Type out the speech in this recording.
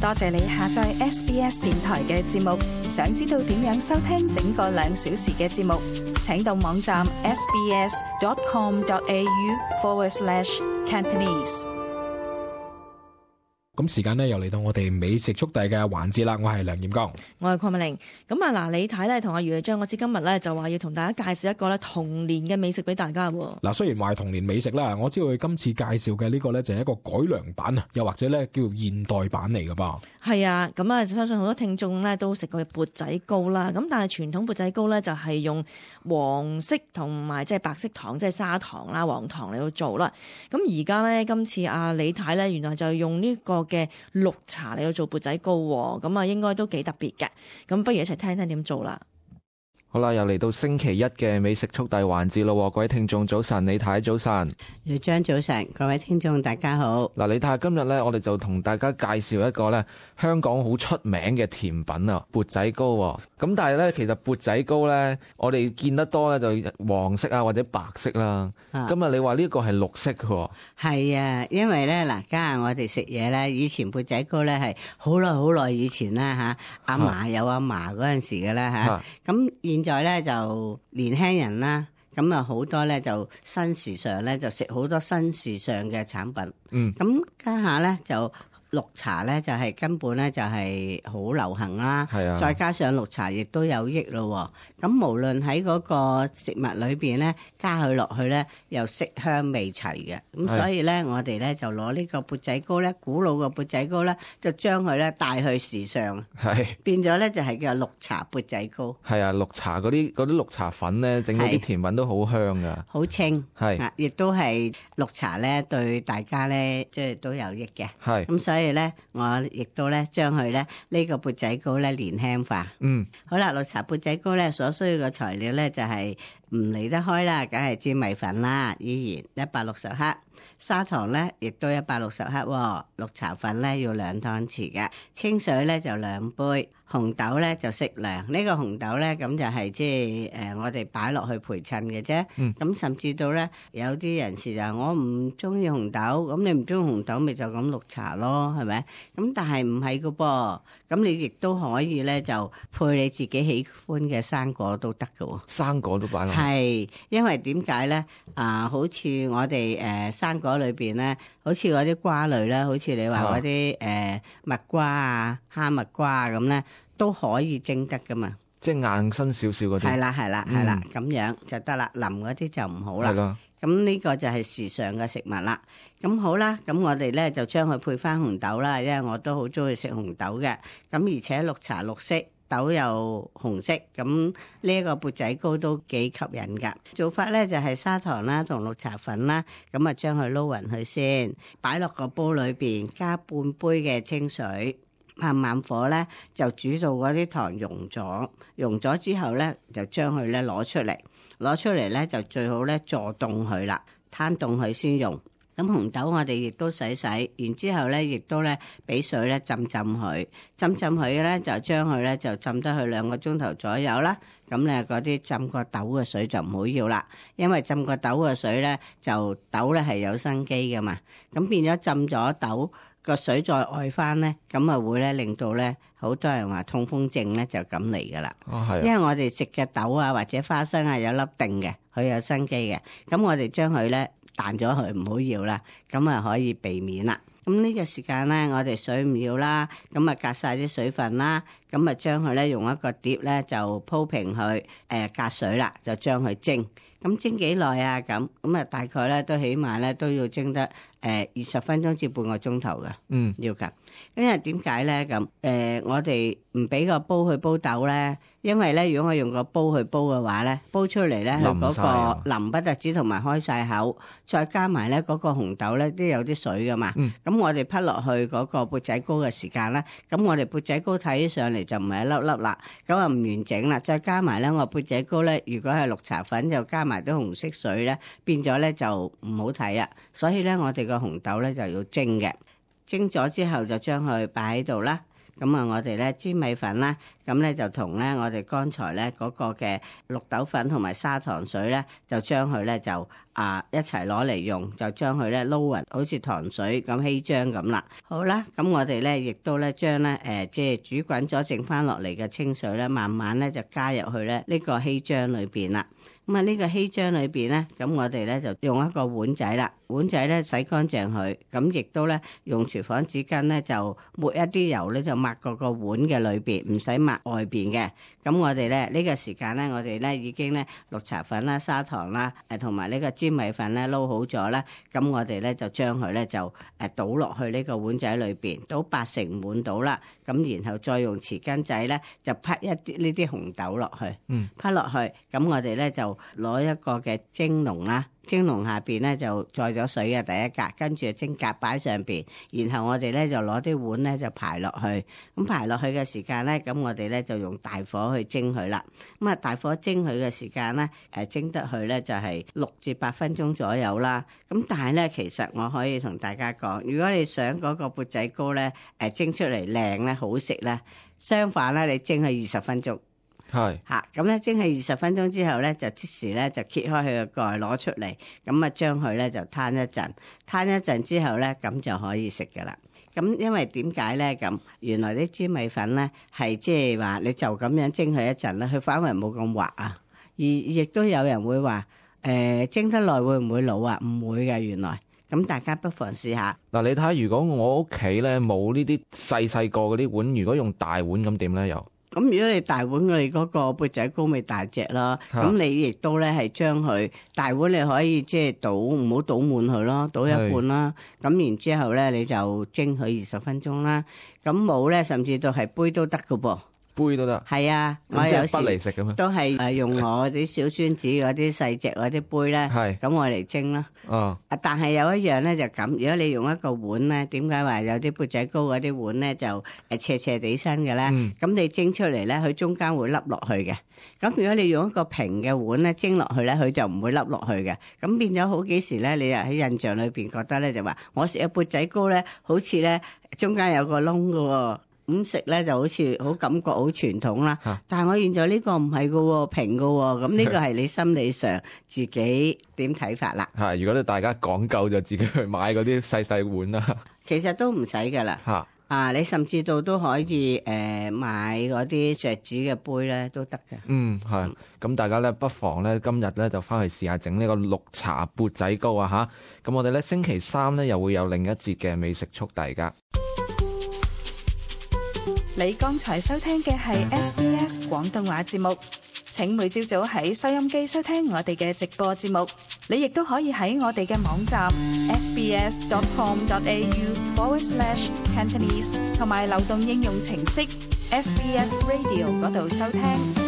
多謝你下載 SBS 電台嘅節目。想知道點樣收聽整個2小時嘅節目，請到網站 sbs.com.au/Cantonese。咁時間呢又嚟到我哋美食速遞嘅環節啦，我係梁彥剛，我係鄺美玲。咁嗱，李太咧同阿余麗章，我知今日咧就話要同大家介紹一個咧童年嘅美食俾大家喎。嗱，雖然話係童年美食啦，我知道佢今次介紹嘅呢個咧就係一個改良版啊，又或者咧叫現代版嚟㗎噃。係啊，咁啊，相信好多聽眾咧都食過缽仔糕啦。咁但係傳統缽仔糕咧就係用黃色同埋即係白色糖，即係砂糖啦、黃糖嚟到做啦。咁而家咧今次阿李太咧原來就用呢個嘅綠茶嚟到做缽仔糕，咁啊應該都幾特別嘅。咁不如一齊聽聽點做啦。好啦，又嚟到星期一嘅美食速遞環節咯，各位聽眾早晨，李太早晨，余張早晨，各位聽眾大家好。嗱，李太今日咧，我哋就同大家介紹一個咧香港好出名嘅甜品啊，缽仔糕。咁但係咧，其實缽仔糕咧，我哋見得多咧就黃色啊或者白色啦。今日你話呢個係綠色嘅？係啊，因為咧嗱，家下我哋食嘢咧，以前缽仔糕咧係好耐以前啦吓，阿嫲有阿嫲嗰陣時嘅啦吓，咁現在咧就年輕人啦，咁啊好多咧就新時尚咧就食好多新時尚嘅產品。咁家下咧就綠茶咧就係根本咧就係好流行啦，再加上綠茶亦都有益咯。咁無論喺嗰個食物裏邊咧加佢落去咧，又色香味齊嘅。咁所以咧我哋咧就攞呢個缽仔糕咧，古老嘅缽仔糕咧，就將佢咧帶去時尚，變咗咧就係叫綠茶缽仔糕。係啊，綠茶嗰啲綠茶粉咧，整到啲甜品都好香噶，好清。係，亦都係綠茶咧對大家咧即係都有益嘅。係，咁所以咧我亦都咧將佢咧呢個缽仔糕咧年輕化。好啦，綠茶缽仔糕咧所需要嘅材料咧就係唔離得開啦，梗係粘米粉啦，依然160克，砂糖咧亦都160克，綠茶粉咧要2湯匙嘅，清水咧就2杯，紅豆咧就適量。呢個紅豆咧咁就係即係我哋擺落去陪襯嘅啫。咁甚至到咧有啲人士就話我唔中意紅豆，咁你唔中意紅豆咪就咁綠茶咯，係咪？咁但係唔係噶噃，咁你亦都可以咧就配你自己喜歡嘅生果都得噶。生果都擺落去。係，因為點解咧？好似我哋生果裏邊咧，好似嗰啲瓜類啦，好似你話嗰啲蜜瓜啊、哈密瓜啊咁咧，都可以蒸得噶嘛。即係硬身少少嗰啲。係啦，咁樣就得啦。腍嗰啲就唔好啦。係咯。咁呢個就係時尚嘅食物啦。咁好啦，咁我哋咧就將佢配翻紅豆啦，因為我都好中意食紅豆嘅。咁而且綠茶綠色，豆又紅色，咁呢一個缽仔糕都幾吸引噶。做法咧就係砂糖啦同綠茶粉啦，咁啊將佢撈勻佢先，擺落個煲裏邊，加半杯嘅清水，慢火咧就煮到嗰啲糖溶咗之後咧就將佢咧攞出嚟咧就最好咧坐凍佢啦，攤凍佢先用。咁紅豆我哋亦都洗，然之後咧亦都咧俾水咧浸佢，浸佢咧就將佢咧就浸得佢2個鐘頭左右啦。咁咧嗰啲浸過豆嘅水就唔好要啦，因為浸過豆嘅水咧就豆咧係有生機噶嘛，咁變咗浸咗豆個水再愛翻咧，咁啊會咧令到咧好多人話痛風症咧就咁嚟噶啦。因為我哋食嘅豆啊或者花生啊有粒定嘅，佢有生機嘅，咁我哋將佢咧彈咗佢唔好要啦，咁啊可以避免啦。咁呢個時間咧，我哋水唔要啦，咁啊隔晒啲水分啦，咁啊將佢咧用一個碟咧就鋪平佢，隔水啦，就將佢蒸。咁蒸幾耐啊？咁啊大概咧都起碼咧都要蒸得20分鐘至半個鐘頭嘅，要㗎。因為點解咧咁？我哋唔俾個煲去煲豆咧，因為咧如果我用個煲去煲嘅話咧，煲出嚟咧佢嗰個腍不特止同埋開晒口，再加埋咧嗰個紅豆咧都有啲水噶嘛。咁我哋滗落去嗰個缽仔糕嘅時間咧，咁我哋缽仔糕睇起上嚟就唔係一粒粒啦，咁啊唔完整啦。再加埋咧我缽仔糕咧，如果係綠茶粉就加埋啲紅色水咧，變咗咧就唔好睇啊。所以咧我哋個紅豆咧就要蒸嘅，蒸咗之後就將佢擺喺度啦。咁啊，我哋咧粘米粉啦，咁咧就同咧我哋剛才咧嗰個嘅綠豆粉同埋砂糖水咧，就將佢咧就一齊攞嚟用，就將佢咧撈勻，好似糖水咁稀漿咁啦。好啦，咁我哋咧亦都咧將咧即係煮滾咗剩翻落嚟嘅清水咧，慢慢咧就加入去咧呢個稀漿裏邊啦。咁啊呢個稀漿裏邊咧，咁我哋咧就用一個碗仔啦，碗仔咧洗乾淨佢，咁亦都咧用廚房紙巾咧就抹一啲油咧就抹過個碗嘅裏邊，唔使抹外邊嘅。咁我哋咧呢個時間咧，我哋咧已經咧綠茶粉啦、砂糖啦，同埋呢個粘米粉咧撈好咗啦。咁我哋咧就將佢咧就倒落去呢個碗仔裏邊，倒80滿到啦。咁然後再用匙羹仔咧就劈一啲呢啲紅豆落去，劈落去。咁我哋咧就攞一個嘅蒸籠啦，蒸籠下邊咧就載咗水嘅第一格，跟住蒸格擺上邊，然後我哋咧就攞啲碗咧就排落去，咁排落去嘅時間咧，咁我哋咧就用大火去蒸佢啦。咁啊大火蒸佢嘅時間咧，蒸得去咧就係6至8分鐘左右啦。咁但係咧，其實我可以同大家講，如果你想嗰個缽仔糕咧蒸出嚟靚咧好食咧，相反咧你蒸佢20分鐘。係嚇，咁咧蒸係20分鐘之後咧，就即時咧就揭開佢個蓋攞出嚟，咁啊將佢咧就攤一陣之後咧，咁就可以食噶啦。咁因為點解咧？咁原來啲粘米粉咧係即係話你就咁樣蒸佢一陣咧，佢反為冇咁滑啊。而亦都有人會話蒸得耐會唔會老啊？唔會嘅，原來。咁大家不妨試下。嗱，你睇下，如果我屋企咧冇呢啲細個嗰啲碗，如果用大碗咁點咧又？咁如果你大碗，我哋嗰個缽仔糕咪大隻咯。咁你亦都咧係將佢大碗，你可以即係倒，唔好倒滿佢咯，倒一半啦。咁然之後咧，你就蒸佢20分鐘啦。咁冇咧，甚至到係杯都得㗎噃。杯都得，係啊！我有時不離食咁都係用我啲小孫子嗰啲細隻嗰啲杯咧，咁我嚟蒸啦。哦，但係有一樣咧就咁，如果你用一個碗咧，點解話有啲缽仔糕嗰啲碗咧就斜斜地身嘅咧？咁你蒸出嚟咧，佢中間會凹落去嘅。咁如果你用一個平嘅碗咧蒸落去咧，佢就唔會凹落去嘅。咁變咗好幾時咧，你又喺印象裏邊覺得咧就話，我食嘅缽仔糕咧，好似咧中間有個窿㗎喎。咁食咧就好似好感覺好傳統啦，但係我現在呢個唔係㗎，平㗎，咁呢個係你心理上自己點睇法啦。係，如果大家講究就自己去買嗰啲細碗啦。其實都唔使㗎啦。你甚至到都可以買嗰啲錫紙嘅杯咧都得嘅。係。咁大家咧不妨咧今日咧就翻去試下整呢個綠茶缽仔糕啊嚇。咁我哋咧星期3咧又會有另一節嘅美食速遞㗎。你剛才收聽嘅係 SBS 廣東話節目，請每朝早喺收音機收聽我哋嘅直播節目。你亦都可以喺我哋嘅網站 sbs.com.au/Cantonese 同埋流動應用程式 SBS Radio 嗰度收聽。